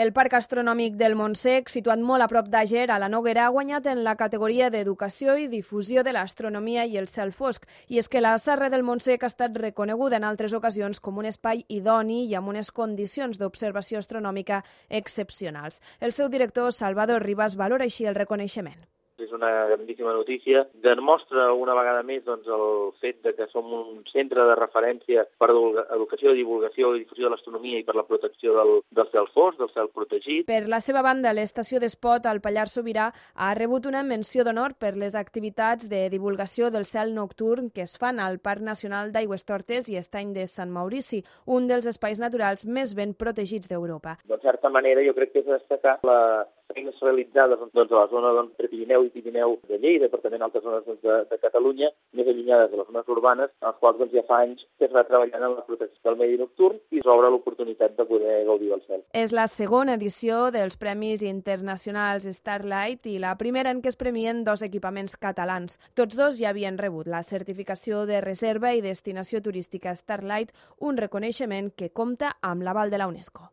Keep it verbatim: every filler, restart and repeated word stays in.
El Parc Astronòmic del Montsec, situat molt a prop d'Àger, a la Noguera, ha guanyat en la categoria d'Educació i Difusió de l'Astronomia i el Cel Fosc. I és que la Serra del Montsec ha estat reconeguda en altres ocasions com un espai idoni i amb unes condicions d'observació astronòmica excepcionals. El seu director, Salvador Ribas, valora així el reconeixement. És una grandíssima notícia. Demostra una vegada més doncs, el fet de que som un centre de referència per educació, divulgació i difusió de l'astronomia i per la protecció del, del cel fosc, del cel protegit. Per la seva banda, l'estació d'Espot al Pallars Sobirà ha rebut una menció d'honor per les activitats de divulgació del cel nocturn que es fan al Parc Nacional d'Aigüestortes i Estany de Sant Maurici, un dels espais naturals més ben protegits d'Europa. De certa manera, jo crec que és destacar la feines realitzades doncs, a la zona doncs, entre Pirineu i Pirineu de Lleida, però també en altres zones doncs, de, de Catalunya, més allunyades de les zones urbanes, en les quals doncs, ja fa anys que es va treballant en la protecció del medi nocturn i s'obre l'oportunitat de poder gaudir del cel. És la segona edició dels Premis Internacionals Starlight i la primera en què es premien dos equipaments catalans. Tots dos ja havien rebut la certificació de reserva i destinació turística Starlight, un reconeixement que compta amb l'aval de la UNESCO.